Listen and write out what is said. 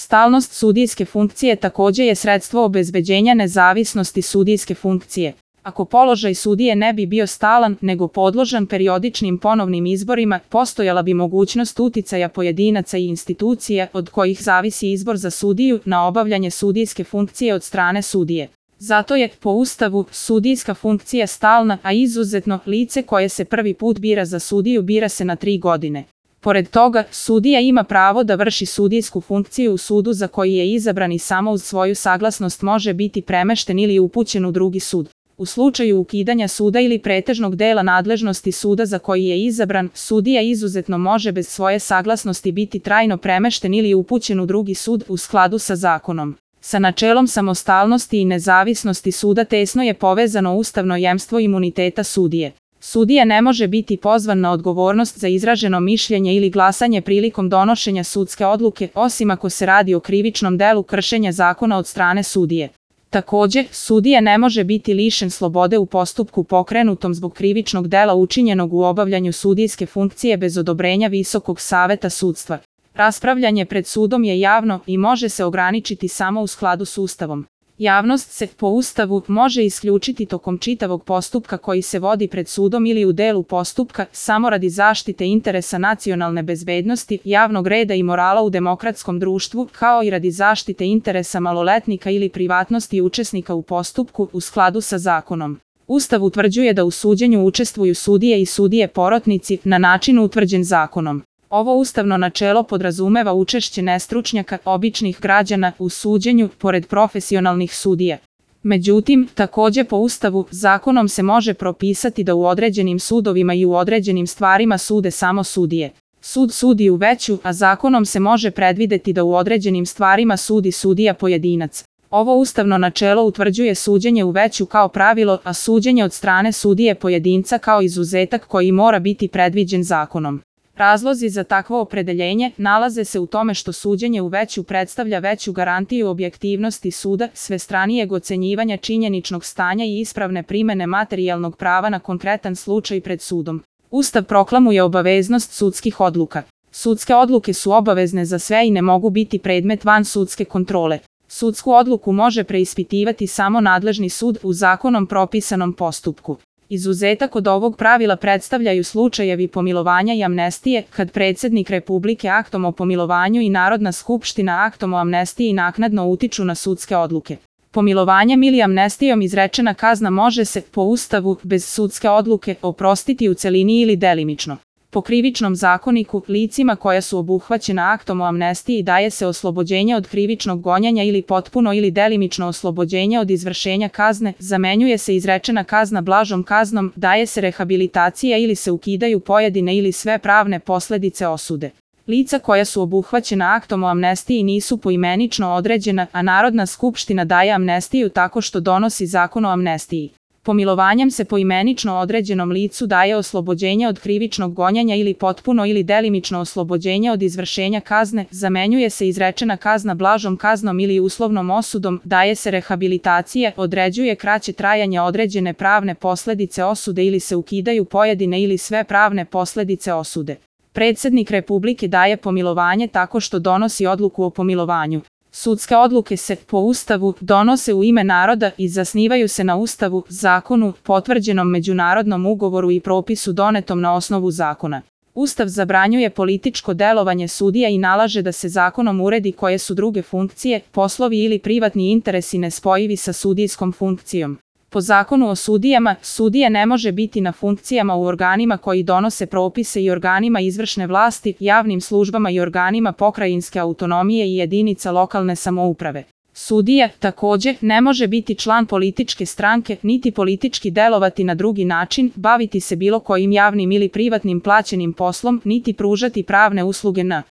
Stalnost sudijske funkcije također je sredstvo obezbeđenja nezavisnosti sudijske funkcije. Ako položaj sudije ne bi bio stalan, nego podložan periodičnim ponovnim izborima, postojala bi mogućnost uticaja pojedinaca i institucija od kojih zavisi izbor za sudiju na obavljanje sudijske funkcije od strane sudije. Zato je, po Ustavu, sudijska funkcija stalna, a izuzetno, lice koje se prvi put bira za sudiju bira se na 3 godine. Pored toga, sudija ima pravo da vrši sudijsku funkciju u sudu za koji je izabran i samo uz svoju saglasnost može biti premešten ili upućen u drugi sud. U slučaju ukidanja suda ili pretežnog dela nadležnosti suda za koji je izabran, sudija izuzetno može bez svoje saglasnosti biti trajno premešten ili upućen u drugi sud u skladu sa zakonom. Sa načelom samostalnosti i nezavisnosti suda tesno je povezano ustavno jemstvo imuniteta sudije. Sudija ne može biti pozvan na odgovornost za izraženo mišljenje ili glasanje prilikom donošenja sudske odluke, osim ako se radi o krivičnom delu kršenja zakona od strane sudije. Također, sudija ne može biti lišen slobode u postupku pokrenutom zbog krivičnog dela učinjenog u obavljanju sudijske funkcije bez odobrenja Visokog saveta sudstva. Raspravljanje pred sudom je javno i može se ograničiti samo u skladu s Ustavom. Javnost se, po Ustavu, može isključiti tokom čitavog postupka koji se vodi pred sudom ili u delu postupka, samo radi zaštite interesa nacionalne bezbednosti, javnog reda i morala u demokratskom društvu, kao i radi zaštite interesa maloletnika ili privatnosti učesnika u postupku u skladu sa zakonom. Ustav utvrđuje da u suđenju učestvuju sudije i sudije porotnici na način utvrđen zakonom. Ovo ustavno načelo podrazumeva učešće nestručnjaka, običnih građana, u suđenju, pored profesionalnih sudija. Međutim, također po Ustavu, zakonom se može propisati da u određenim sudovima i u određenim stvarima sude samo sudije. Sud sudi u veću, a zakonom se može predvideti da u određenim stvarima sudi sudija pojedinac. Ovo ustavno načelo utvrđuje suđenje u veću kao pravilo, a suđenje od strane sudije pojedinca kao izuzetak koji mora biti predviđen zakonom. Razlozi za takvo opredeljenje nalaze se u tome što suđenje u veću predstavlja veću garantiju objektivnosti suda, svestranijeg ocenjivanja činjeničnog stanja i ispravne primene materijalnog prava na konkretan slučaj pred sudom. Ustav proklamuje obaveznost sudskih odluka. Sudske odluke su obavezne za sve i ne mogu biti predmet vansudske kontrole. Sudsku odluku može preispitivati samo nadležni sud u zakonom propisanom postupku. Izuzetak od ovog pravila predstavljaju slučajevi pomilovanja i amnestije, kad predsjednik Republike aktom o pomilovanju i Narodna skupština aktom o amnestiji naknadno utiču na sudske odluke. Pomilovanjem ili amnestijom izrečena kazna može se, po Ustavu, bez sudske odluke, oprostiti u celini ili delimično. Po Krivičnom zakoniku, licima koja su obuhvaćena aktom o amnestiji daje se oslobođenje od krivičnog gonjenja ili potpuno ili delimično oslobođenje od izvršenja kazne, zamenjuje se izrečena kazna blažom kaznom, daje se rehabilitacija ili se ukidaju pojedine ili sve pravne posljedice osude. Lica koja su obuhvaćena aktom o amnestiji nisu poimenično određena, a Narodna skupština daje amnestiju tako što donosi zakon o amnestiji. Pomilovanjem se poimenično određenom licu daje oslobođenje od krivičnog gonjenja ili potpuno ili delimično oslobođenje od izvršenja kazne, zamenjuje se izrečena kazna blažom kaznom ili uslovnom osudom, daje se rehabilitacija, određuje kraće trajanje određene pravne posljedice osude ili se ukidaju pojedine ili sve pravne posljedice osude. Predsjednik Republike daje pomilovanje tako što donosi odluku o pomilovanju. Sudske odluke se, po Ustavu, donose u ime naroda i zasnivaju se na Ustavu, zakonu, potvrđenom međunarodnom ugovoru i propisu donetom na osnovu zakona. Ustav zabranjuje političko delovanje sudija i nalaže da se zakonom uredi koje su druge funkcije, poslovi ili privatni interesi nespojivi sa sudijskom funkcijom. Po zakonu o sudijama, sudija ne može biti na funkcijama u organima koji donose propise i organima izvršne vlasti, javnim službama i organima pokrajinske autonomije i jedinica lokalne samouprave. Sudija, također, ne može biti član političke stranke, niti politički delovati na drugi način, baviti se bilo kojim javnim ili privatnim plaćenim poslom, niti pružati pravne usluge na